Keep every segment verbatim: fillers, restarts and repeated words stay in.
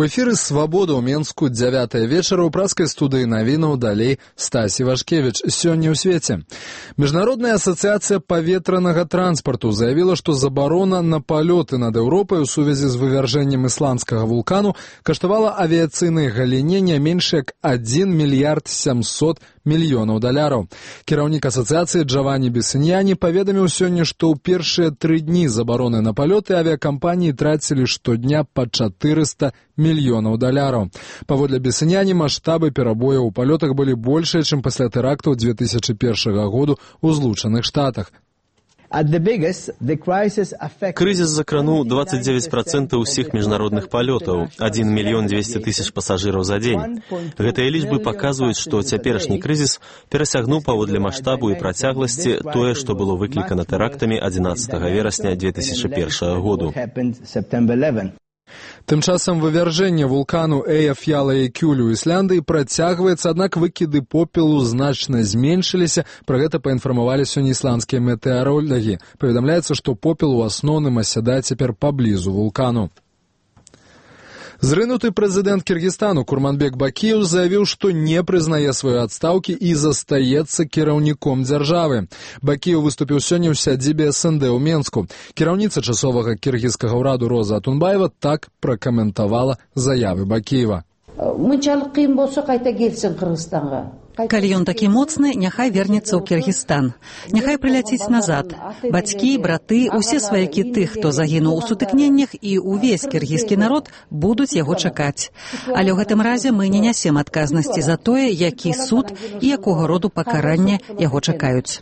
У эфіры «Свабода» ў Менску дзявятая вечара ў праскай студыі навінаў далей Стасі Вашкевіч. Сёння ў свеце. Міжнародная асацыяцыя паветранага транспарту заявіла, што забарона на палёты над Еўропай у сувязі з вывяржэннем ісландскага вулкану каштавала авіяцыйнай галіне не менш як адзін мільярд сямсот мільёнаў даляраў. Кіраўнік асацыяцыі Джаванні Бесіньяні паведаміў сёння, што ў першыя тры дні забароны на палёты авіякампаніі трацілі штодня па чатырыста мільёнаў даляраў. Паводле Бесіньяні, маштабы перабояў у палётах былі большыя, чым пасля тэрактаў дзве тысячы першага году ў Злучаных Штатах. Крызіс закрануў двадцать девять процентов усіх міжнародных палётаў, адзін мільён дзвесце тысяч пасажыраў за дзень. Гэтыя лічбы паказваюць, што цяперашні крызіс перасягнуў паводле маштабу і працягласці тое, што было выклікана тэрактамі адзінаццатага верасня дзве тысячы першага году. Тым часам вывяржэнне вулкану Эйяф'яла-Эйкюль у Ісландыі працягваецца, аднак выкіды попелу значна зменшыліся. Пра гэта паінфармавалі сёння ісландскія метэаролагі. Паведамляецца, што попел у асноўным асядае цяпер паблізу вулкану. Зрынуты прэзідэнт Кіргізстану Курманбек Бакіеў заявіў, што не прызнае сваёй адстаўкі і застаецца кіраўніком дзяржавы. Бакіеў выступіў сёння ў сядзібе эс эн дэ ў Менску. Кіраўніца часовага кіргізскага ўраду Роза Атунбаева так пракаментавала заявы Бакіева. Мынчалык кыйын болсо кайта келсин Кыргызстанга. Калі ён такі моцны, няхай вернецца ў Кіргізстан. Няхай прыляціць назад. Бацькі, браты, усе сваякі тых, хто загінуў у сутыкненнях, і ўвесь кіргізскі народ будуць яго чакаць. Але ў гэтым разе мы не нясем адказнасці за тое, які суд і якога роду пакаранне яго чакаюць.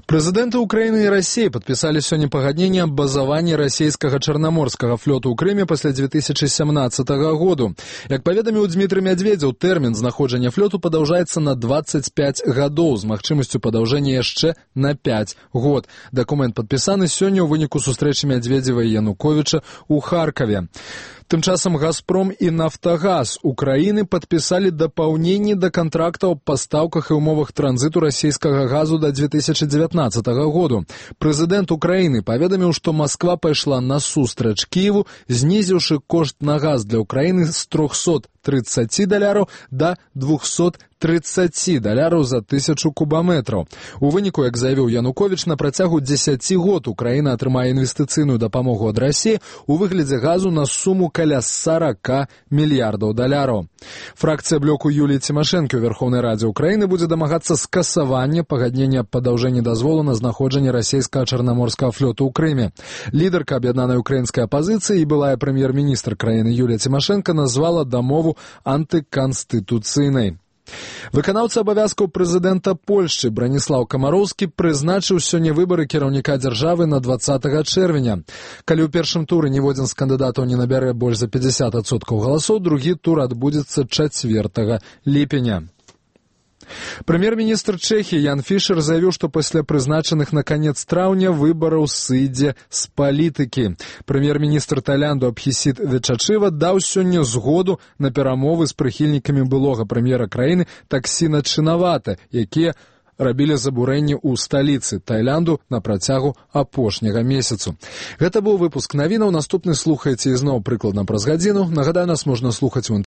Прэзідэнты Украіны і Расіі падпісалі сёння пагадненне аб базаванні расійскага чарнаморскага флоту ў Крыме пасля дзве тысячы сямнаццатага году. Як паведаміў Дмітрый Мядзведзеў, тэрмін знаходжання флоту падаўжаецца на дваццаць пяць гадоў з магчымасцю падаўжэння яшчэ на пяць год. Дакумент падпісаны сёння ў выніку сустрэчы Мядзведзева і Януковіча ў Харкаве. Тым часам «Газпром» і «Нафтагаз» Украіны падпісалі дапаўненні да кантрактаў па пастаўках і ўмовах транзіту расійскага газу да дзве тысячы дзевятнаццатага году. Прэзідэнт Украіны паведаміў, што Масква пайшла насустрач Кіеву, знізіўшы кошт на газ для Украіны з трохсот трыццаці даляраў да двухсот трыццаці даляраў за тысячу кубаметраў. У выніку, як заявіў Януковіч, на працягу дзесяці год Украіна атрымае інвестыцыйную дапамогу ад Расіі у выглядзе газу на суму каля сарака мільярдаў даляраў. Фракцыя блоку Юліі Цімашэнкі ў Верхоўнай Радзе Украіны будзе дамагацца скасавання пагаднення аб падаўжэнні дазволу на знаходжанне расійскага чарнаморскага флоту ў Крыме. Лідарка аб'яднанай украінскай апазіцыі і былая прэм'ер-міністр краіны Юлія Цімашэнка назвала дамову антыканстытуцыйнай. Выканаўца абавязкаў прэзідэнта Польшчы Браніслаў Камароўскі прызначыў сёння выбары кіраўніка дзяржавы на дваццатага чэрвеня. Калі ў першым туры ніводзін з кандыдатаў не набярэ больш за пятьдесят адсоткаў галасоў, другі тур адбудзецца чацвёртага ліпеня. Прэм'ер-міністр Чэхіі Ян Фішер заявіў, што пасля прызначаных на канец траўня выбараў сыдзе з палітыкі. Прэм'ер-міністр Таіланду Абхісіт Вечачыва даў сёння згоду на перамовы з прыхільнікамі былога прэм'ера краіны Таксіна Чынавата, якія рабілі забурэнні ў сталіцы Таіланду на працягу апошняга месяцу. Гэта быў выпуск навінаў. Наступны слухайце ізноў прыкладна праз гадзіну. Нагадаю, нас можна слухаць у